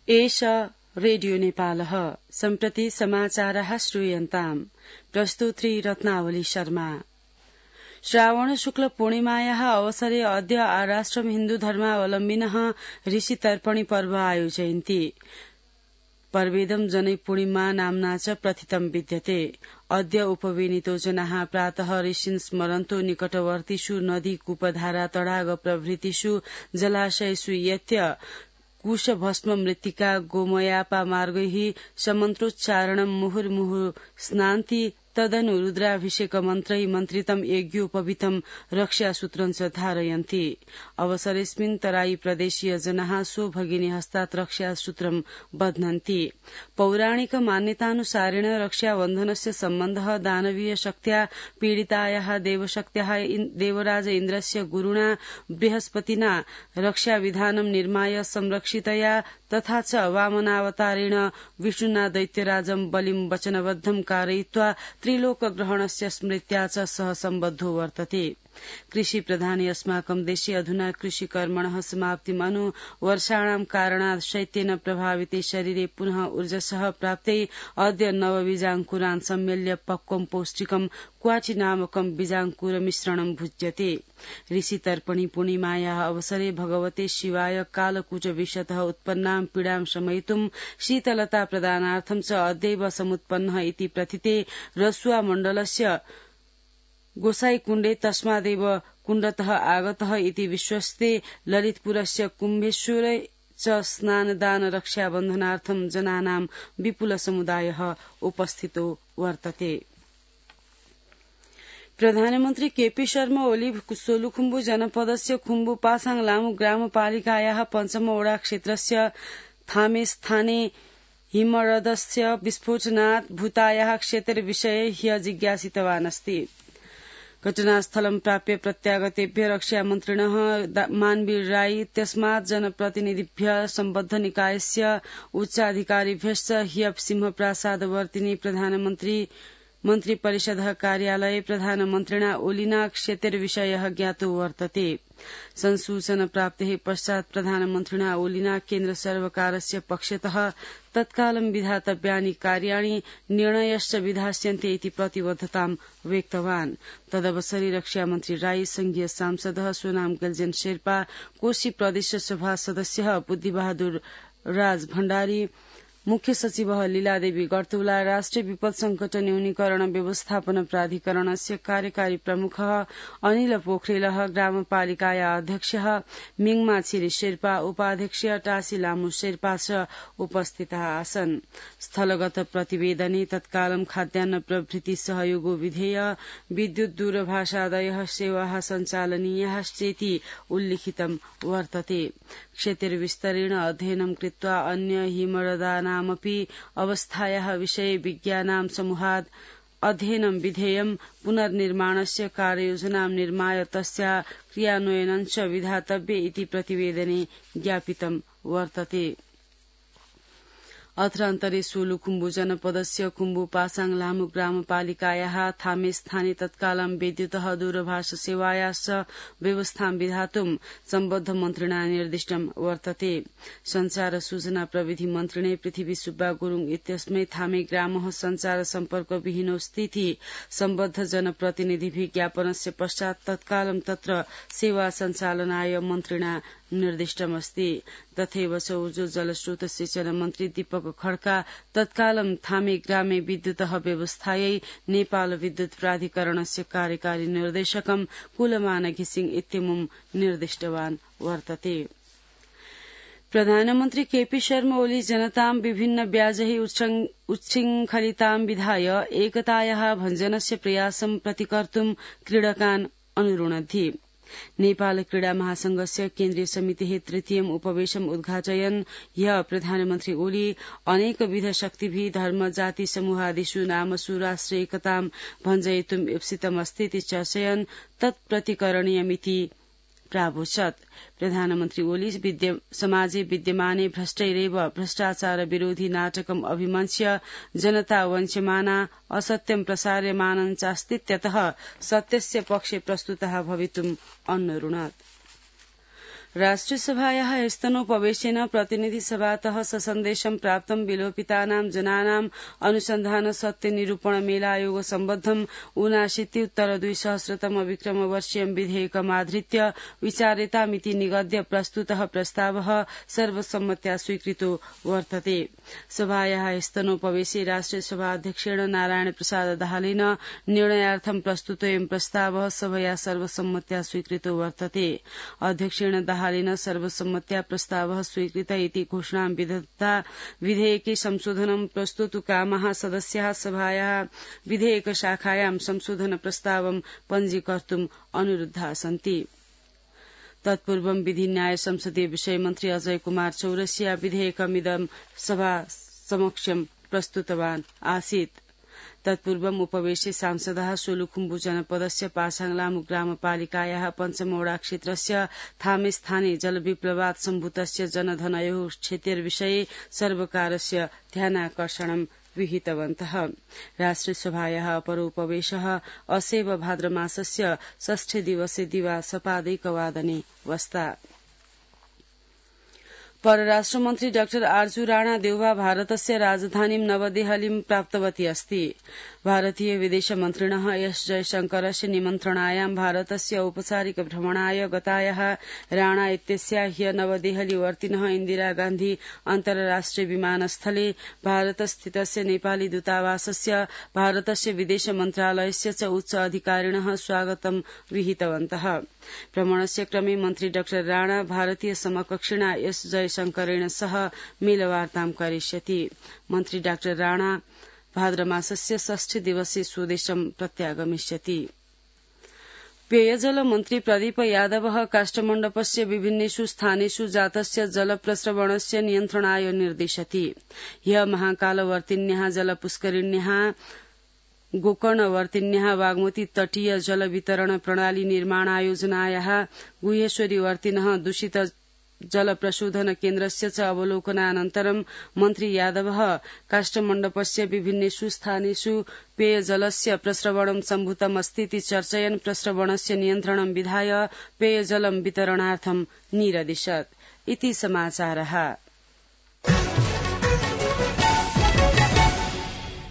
एष रेडियो नेपालः सम्प्रति समाचारः श्रूयन्ताम् प्रस्तुत्री रत्नावली शर्मा। श्रावण शुक्ल पूर्णिमायाः अवसरे अद्य आराष्ट्रम हिन्दू धर्मावलम्बिनः ऋषि तर्पणी पर्व आयोजयन्ति। पर्वेदं जनै पूर्णिमा नाम्ना च प्रथितं विद्यते। अद्य उपवेनितो जनाः प्रातः ऋषीन् स्मरन्तो निकटवर्तीषु नदी कूपधारा तडाग प्रभृतिषु जलाशयेषु यत्य कुशभस्म मृत्तिका गोमयापा मार्गैः समन्त्रोच्चारणं मुहुर्मुहुः स्नान्ति तदनु रुद्राभिषेक मन्त्रै मन्त्रितं यज्ञोपवीतं रक्षासूत्रं च धारयन्ति। अवसरेऽस्मिन् तराई प्रदेशीय जनाः स्वभगिनी हस्तात् रक्षासूत्रं बध्नन्ति। पौराणिक मान्यतानुसारेण रक्षाबन्धनस्य सम्बन्धः दानवीय शक्त्या पीडितायाः देवशक्त्याः देवराज इन्द्रस्य गुरुणा बृहस्पतिना रक्षाविधानं निर्माय संरक्षितया तथा च वामनावतारेण विष्णुना दैत्यराजं बलिं वचनबद्धं कारयित्वा त्रिलोकग्रहणस्य स्मृत्या च सह सम्बद्धो वर्तते। कृषि प्रधाने अस्माकं देशे अधुना कृषिकर्मणः समाप्तिमनु वर्षाणां कारणात् शैत्येन प्रभाविते शरीरे पुनः ऊर्जसः प्राप्ते अद्य नवबीजाङ्कुरान् सम्मेल्य पक्वं पौष्टिकं क्वाचि नामकं बीजाङ्कुरमिश्रणं भुज्यते। ऋषि तर्पणी पूर्णिमायाः अवसरे भगवते शिवाय कालकूट विषतः उत्पन्नां पीडां शमयितुं शीतलता प्रदानार्थं च अद्यैव समुत्पन्नः इति प्रथिते रसुआ मण्डलस्य गोसाईकुण्डे तस्मादेव कुण्डतः आगतः इति विश्वस्ते ललितपुरस्य कुम्भेश्वरे च स्नानदान रक्षाबन्धनार्थं जनानां विपुल समुदायः उपस्थितो वर्तते। प्रधानमन्त्री केपी शर्मा ओली सोलुखुम्बु जनपदस्य खुम्बु पासाङ लामु ग्रामपालिकायाः पञ्चम वडा क्षेत्रस्य थामे स्थाने हिमरदस्य विस्फोटनात् भूतायाः क्षेत्रविषये ह्य जिज्ञासितवान् अस्ति। घटनास्थलं प्राप्य प्रत्यागतेभ्य रक्षामन्त्रिणः मानवीर राई इत्यस्मात् जनप्रतिनिधिभ्यः सम्बद्ध निकायस्य उच्चाधिकारिभ्यश्च ह्य सिंहप्रासादवर्तिनि मन्त्रिपरिषदः कार्यालये प्रधानमन्त्रिणा ओलिना क्षेत्रविषयः ज्ञातो वर्तते। संसूचन प्राप्तेः पश्चात् प्रधानमन्त्रिणा ओलिना केन्द्र सर्वकारस्य पक्षतः तत्कालं विधातव्यानि कार्याणि निर्णयश्च विधास्यन्ते इति प्रतिबद्धतां व्यक्तवान्। तदवसरे रक्षामन्त्री राई संघीय सांसदः सोनाम गल्जेन शेर्पा कोशी प्रदेश सभा सदस्यः बुद्धिबहादुर राज भण्डारी मुख्य सचिवः लीलादेवी गर्तुला राष्ट्रिय विपद संकट न्यूनीकरण व्यवस्थापन प्राधिकरणस्य कार्यकारी प्रमुखः अनिल पोखरेलः ग्रामपालिकाया अध्यक्षः मिङमा छिरी शेर्पा उपाध्यक्ष टासी लामु शेर्पा च उपस्थिताः आसन्। स्थलगत प्रतिवेदने तत्कालं खाद्यान्न प्रभृति सहयोगो विधेय विद्युत दूरभाषादयः सेवाः सञ्चालनीयाश्चेति उल्लिखितं वर्तते। क्षेत्रविस्तरेण अध्ययनं कृत्वा अन्य हिमरदानामपि अवस्थायाः विषये विज्ञानां समूहात् अध्ययनं विधेयं पुनर्निर्माणस्य कार्ययोजनां निर्माय तस्या क्रियान्वयनं च विधातव्ये इति प्रतिवेदने ज्ञापितं वर्तते। अत्रान्तरे सोलुखुम्बु जनपदस्य खुम्बु पासाङ लामु ग्रामपालिकायाः थामे स्थाने तत्कालं विद्युतः दूरभाष सेवायाश्च व्यवस्थां विधातुं सम्बद्ध मन्त्रिणा निर्दिष्टं वर्तते। संचार सूचना प्रविधि मन्त्रिणे पृथ्वी सुब्बा गुरुङ इत्यस्मै थामे ग्रामः संचार सम्पर्क विहीनो स्थिति सम्बद्ध जनप्रतिनिधिभिः ज्ञापनस्य पश्चात् तत्कालं तत्र सेवा सञ्चालनाय मन्त्रिणा निर्दिष्टमस्ति। तथैव ऊर्जा जलस्रोत सिंचन मन्त्री दीपक खड्का तत्कालं थामे ग्रामे विद्युतः व्यवस्थायै नेपाल विद्युत प्राधिकरणस्य कार्यकारी निर्देशकं कुलमान घिसिङ इत्यमुं निर्दिष्टवान् वर्तते। प्रधानमन्त्री केपी शर्मा ओली जनतां विभिन्न व्याजैः उच्छृङ्खलितां विधाय एकतायाः भञ्जनस्य प्रयासं प्रतिकर्तुं क्रीडकान् अनुरुणद्धि। नेपाल क्रीडा महासंघस्य केन्द्रीय समितिः तृतीयम् उपवेशम् उद्घाटयन् ह्यः प्रधानमन्त्री ओली अनेकविध शक्तिभिः धर्म जाति समूहादिषु नामसु राष्ट्रिय एकतां भञ्जयितुम् ईप्सितमस्तीति चर्चयन् तत्प्रतिकरणीयमिति प्रावोचत्। प्रधानमन्त्री ओली समाजे विद्यमाने भ्रष्टैरेव भ्रष्टाचार विरोधी नाटकम् अभिमञ्च्य जनता वञ्च्यमाना असत्यं प्रसार्यमानं चास्तीत्यतः सत्यस्य पक्षे प्रस्तुतः भवितुम् अन्नरुणत्। राष्ट्रियसभायाः स्तनोपवेशेन प्रतिनिधिसभातः ससन्देशं प्राप्तं विलोपितानां जनानां अनुसन्धान सत्य निरूपण मेलायोग सम्बद्धं 79-2000 विक्रमवर्षीयं विधेयकमाधृत्य विचार्यतामिति निगद्य प्रस्तुतः प्रस्तावः सर्वसम्मत्या स्वीकृतो वर्तते। सभायाः स्तनोपवेशे राष्ट्रियसभा अध्यक्षेण नारायण प्रसाद दाहालेन निर्णयार्थं प्रस्तुतोऽयं प्रस्तावः सभया सर्वसम्मत्या स्वीकृतो वर्तते। अध्यक्षेण दाहालेन सर्वसम्मत्या प्रस्तावः स्वीकृत इति घोषणां विदत्ता विधेयके संशोधनं प्रस्तुतकामाः सदस्याः सभायाः विधेयकशाखायां संशोधन प्रस्तावं पञ्जीकर्तुम् अनुरुद्धाः सन्ति। तत्पूर्वं विधि न्याय संसदीय विषय मन्त्री अजय कुमार चौरसिया विधेयकमिदं सभा समक्षं प्रस्तुतवान् आसीत्। तत्पूर्वम् उपवेशे सांसदः सोलुखुम्बु जनपदस्य पासाङलामु ग्रामपालिकायाः पञ्चमौडा क्षेत्रस्य थामेस्थाने जलविप्लवात् सम्भूतस्य जनधनयोः क्षतिर्विषये सर्वकारस्य ध्यानाकर्षणं विहितवन्तः। राष्ट्रियसभायाः अपरोपवेशः असैव भाद्रमासस्य 6 दिवसे दिवा सपादैकवादने वस्ता। परराष्ट्रमन्त्री डाक्टर आर्जू राणा देउवा भारतस्य राजधानीं नवदेहलीं प्राप्तवती अस्ति। भारतीय विदेश मन्त्रिणः एस जयशंकरस्य निमन्त्रणायां भारतस्य औपचारिक भ्रमणाय गतायाः राणा इत्यस्या ह्य नवदेहली वर्तिनः इन्दिरा गान्धी अन्तर्राष्ट्रिय विमानस्थले भारतस्थितस्य नेपाली दूतावासस्य भारतस्य विदेश मन्त्रालयस्य च उच्च अधिकारिणः स्वागतं विहितवन्तः। भ्रमणस्य क्रमे मन्त्री डाक्टर राणा भारतीय समकक्षिणा एस जयशंकरेण सह मेलवार्तां करिष्यति। मन्त्री डाक्टर राणा भाद्रमासस्य 6 दिवसे स्वदेशं प्रत्यागमिष्यति। पेयजल मन्त्री प्रदीप यादवः काष्ठमण्डपस्य विभिन्नेषु स्थानेषु जातस्य जलप्रस्रवणस्य नियन्त्रणाय निर्दिशति। ह्यः महाकालवर्तिन्याः जलपुष्करिण्याः गोकर्णवर्तिन्याः बागमती तटीय जल वितरण प्रणाली निर्माणायोजनायाः गुह्येश्वरी वर्तिनः दूषित जल प्रशोधन केन्द्रस्य च अवलोकनानन्तरं मन्त्री यादवः काष्ठमण्डपस्य विभिन्नेषु स्थानेषु पेयजलस्य प्रस्रवणं सम्भूतमस्तीति चर्चयन् प्रस्रवणस्य नियन्त्रणं विधाय पेयजलं वितरणार्थं निरदिशत्। इति समाचारः।